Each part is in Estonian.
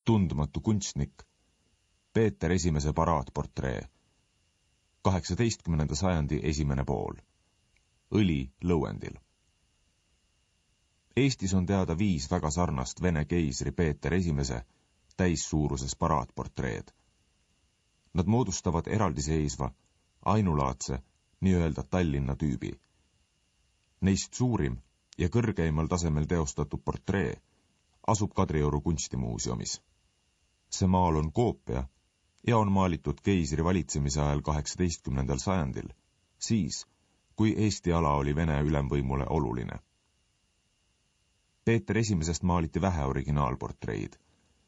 tundmatu kunstnik, Peeter I paraatportree, 18. sajandi esimene pool, õli lõuendil. Eestis on teada 5 väga sarnast Vene keisri Peeter I täissuuruses paraatportreed. Nad moodustavad eraldiseisva, ainulaadse, nii-öelda Tallinna tüübi. Neist suurim ja kõrgeimal tasemel teostatud portree asub Kadrioru kunstimuuseumis. See maal on koopia ja on maalitud keisri valitsemise ajal 18. sajandil, siis, kui Eesti ala oli Vene ülemvõimule oluline. Peeter I maaliti vähe originaalportreid,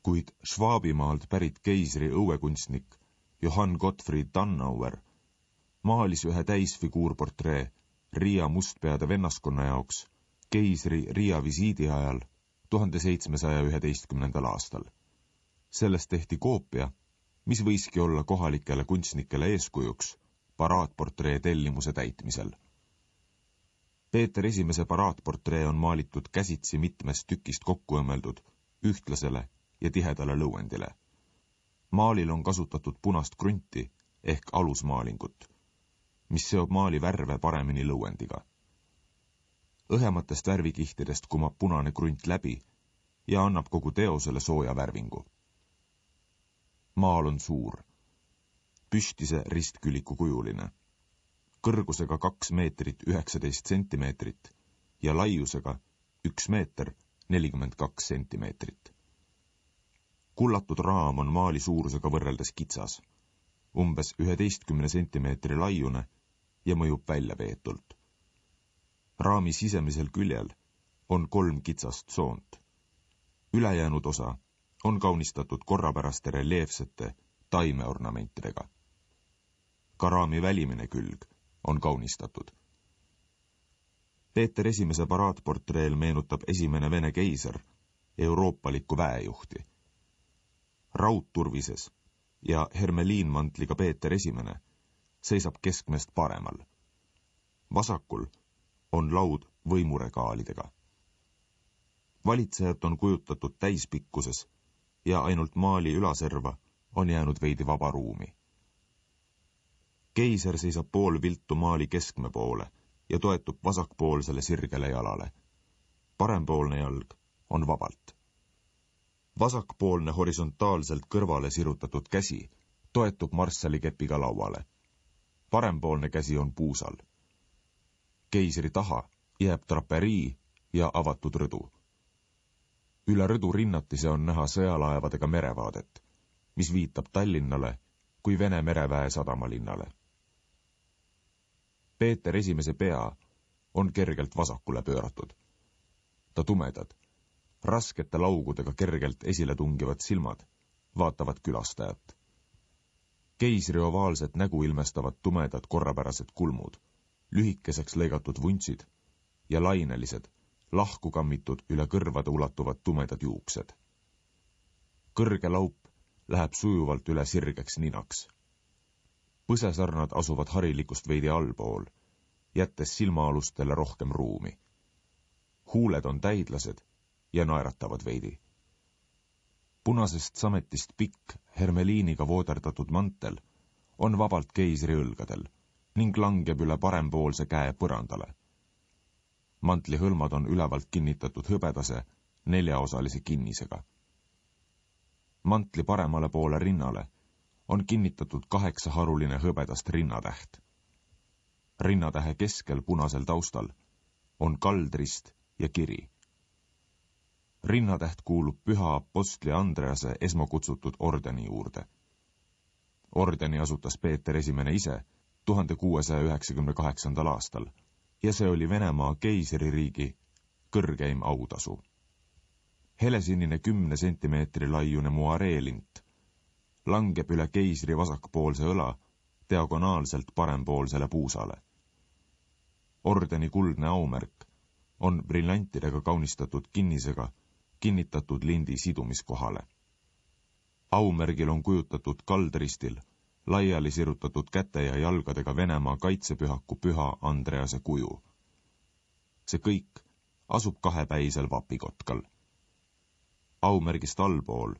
kuid Schwabimaalt pärit keisri õuekunstnik Johann Gottfried Dannauer maalis ühe täisfiguurportree Riia mustpeade vennaskonna jaoks keisri Riia visiidi ajal 1711. aastal. Sellest tehti koopia, mis võiski olla kohalikele kunstnikele eeskujuks paraatportree tellimuse täitmisel. Peeter I paraatportree on maalitud käsitsi mitmest tükist kokku õmmeldud ühtlasele ja tihedale lõuendile. Maalil on kasutatud punast krunti ehk alusmaalingut, mis seob maali värve paremini lõuendiga. Õhematest värvikihtidest kumab punane krunt läbi ja annab kogu teosele sooja värvingu. Maal on suur, püstise ristküliku kujuline, kõrgusega 2 meetrit 19 sentimeetrit ja laiusega 1 meeter 42 sentimeetrit. Kullatud raam on maali suurusega võrreldes kitsas, umbes 11 sentimeetri laiune ja mõjub väljaveetult. Raami sisemisel küljel on 3 kitsast soont. Ülejäänud osa on kaunistatud korrapäraste reljeefsete taimeornamentidega. Ka raami välimine külg on kaunistatud. Peeter I paraatportreel meenutab esimene Vene keiser euroopalikku väejuhti. Raudturvises ja hermeliinmantliga Peeter I seisab keskmest paremal. Vasakul on laud võimuregaalidega. Valitsejat on kujutatud täispikkuses ja ainult maali ülaserva on jäänud veidi vaba ruumi. Keiser seisab pool viltu maali keskme poole ja toetub vasakpoolsele sirgele jalale. Parempoolne jalg on vabalt. Vasakpoolne horisontaalselt kõrvale sirutatud käsi toetub marssallikepiga lauale. Parempoolne käsi on puusal. Keisri taha jääb traperii ja avatud rõdu. Üle rõdu rinnatise on näha sõjalaevadega merevaadet, mis viitab Tallinnale kui Vene mereväe sadamalinnale. Peeter I pea on kergelt vasakule pööratud. Ta tumedad, raskete laugudega kergelt esile tungivad silmad vaatavad külastajat. Keisri ovaalset nägu ilmestavad tumedad korrapärased kulmud, lühikeseks lõigatud vuntsid ja lainelised, lahku kammitud üle kõrvade ulatuvad tumedad juuksed. Kõrge laup läheb sujuvalt üle sirgeks ninaks. Põsesarnad asuvad harilikust veidi allpool, jättes silmaalustele rohkem ruumi. Huuled on täidlased ja naeratavad veidi. Punasest sametist pikk, hermeliiniga vooderdatud mantel on vabalt keisri õlgadel ning langeb üle parempoolse käe põrandale. Mantli hõlmad on ülevalt kinnitatud hõbedase 4-osalise kinnisega. Mantli paremale poole rinnale on kinnitatud 8-haruline hõbedast rinnatäht. Rinnatähe keskel punasel taustal on kaldrist ja kiri. Rinnatäht kuulub püha apostli Andrease esmakutsutud ordeni juurde. Ordeni asutas Peeter I ise 1698. aastal ja see oli Venemaa keisririigi kõrgeim autasu. Helesinine 10 sentimeetri laiune muareelint langeb üle keisri vasakpoolse õla diagonaalselt parempoolsele puusale. Ordeni kuldne aumärk on briljantidega kaunistatud kinnisega kinnitatud lindi sidumiskohale. Aumärgil on kujutatud kaldristil laiali sirutatud käte ja jalgadega Venemaa kaitsepühaku püha Andrease kuju. See kõik asub 2-päisel vapikotkal. Aumärgist allpool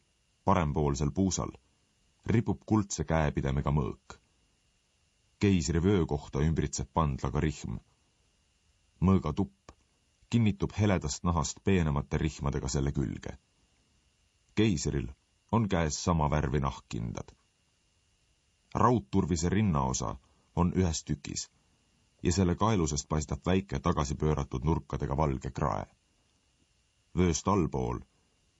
parempoolsel puusal ripub kuldse käepidemega mõõk. Keisri vöö kohta ümbritseb pandlaga rihm. Mõõga tupp kinnitub heledast nahast peenemate rihmadega selle külge. Keisril on käes sama värvi nahkkindad. Raudturvise rinnaosa on ühes tükis ja selle kaelusest paistab väike tagasi pööratud nurkadega valge krae. Vööst allpool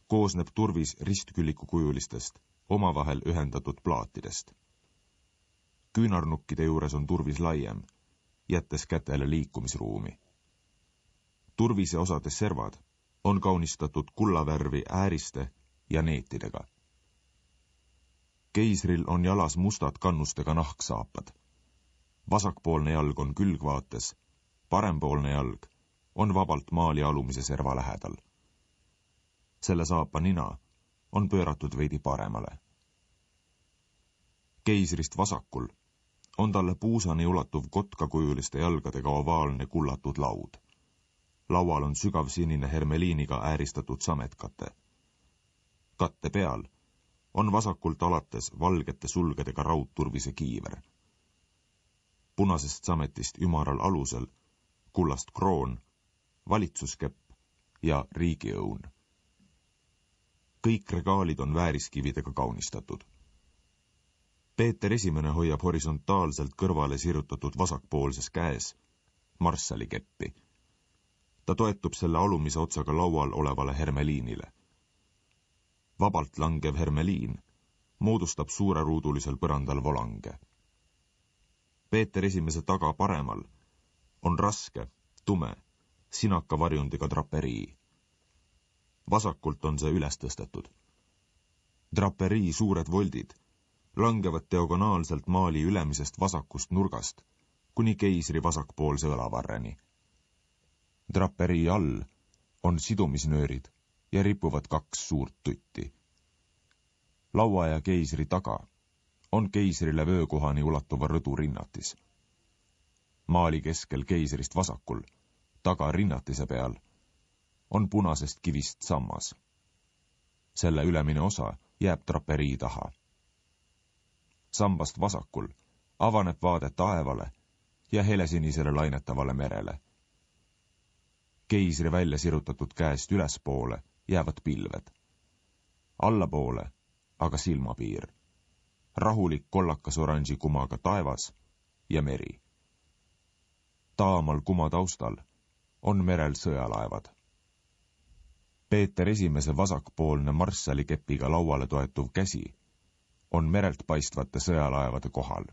koosneb turvis ristküllikukujulistest, omavahel ühendatud plaatidest. Küünarnukkide juures on turvis laiem, jättes kätele liikumisruumi. Turvise osade servad on kaunistatud kullavärvi ääriste ja neetidega. Keisril on jalas mustad kannustega nahksaapad. Vasakpoolne jalg on külgvaates, parempoolne jalg on vabalt maali alumise serva lähedal. Selle saapa nina on pööratud veidi paremale. Keisrist vasakul on talle puusani ulatuv kotkakujuliste jalgadega ovaalne kullatud laud. Laual on sügav sinine hermeliiniga ääristatud sametkate. Katte peal on vasakult alates valgete sulgedega raudturvise kiiver. Punasest sametist ümaral alusel kullast kroon, valitsuskepp ja riigiõun. Kõik regaalid on vääriskividega kaunistatud. Peeter I hoiab horisontaalselt kõrvale sirutatud vasakpoolses käes marssalikeppi. Ta toetub selle alumise otsaga laual olevale hermeliinile. Vabalt langev hermeliin moodustab suureruudulisel põrandal volange. Peeter I taga paremal on raske, tume, sinaka varjundiga draperii. Vasakult on see üles tõstetud. Draperii suured voldid langevad diagonaalselt maali ülemisest vasakust nurgast kuni keisri vasakpoolse õlavarreni. Draperii all on sidumisnöörid ja ripuvad 2 suurt tutti. Laua ja keisri taga on keisrile vöökohani ulatuva rõdu rinnatis. Maali keskel keisrist vasakul, taga rinnatise peal, on punasest kivist sammas. Selle ülemine osa jääb draperii taha. Sambast vasakul avaneb vaade taevale ja helesinisele lainetavale merele. Keisri välja sirutatud käest ülespoole jäävad pilved. Allapoole aga silmapiir. Rahulik kollakas oranži kumaga taevas ja meri. Taamal kuma taustal on merel sõjalaevad. Peeter I vasakpoolne marssali kepiga lauale toetuv käsi on merelt paistvate sõjalaevade kohal.